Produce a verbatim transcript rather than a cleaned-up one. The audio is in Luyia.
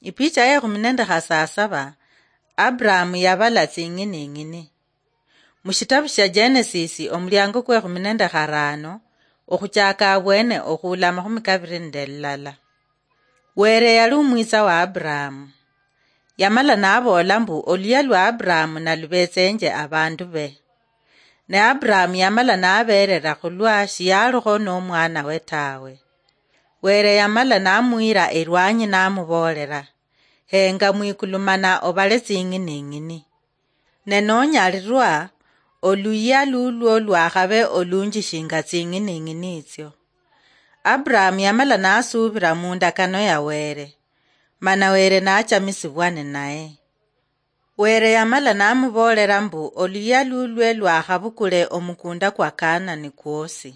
Ipicha yekhumi nende khasasaba, Abrahamu yabala tsing'ining'ini. Mushitabu shia Genesis, omuliango kwekhumi nende kharano, okhuchaka abwene okhula amakhumi kabiri nende lilala. Were yali umwitsa wa Abrahamu. Yamala naboola mbu, oluya lwa Abrahamu nalubetsenje abandu be. Ne Abrahamu yamala naberera khulwa shiyalikho nomwana we tawe. Were yamala namwira erwanyi namuboolera, henga mwikulu mana obale tsing'ining'ini. Ne nonyalirwa, oluyia lulwo lwakhabe olunji shinga tsing'ining'ini itsio. Abrahamu yamala nasuubira mundakano ya Were, mana Were nachamisibwa ninaye. Were yamala namuboolera mbu oluyia lulwe lwakhabukule omukunda kwa Kanani kwosi.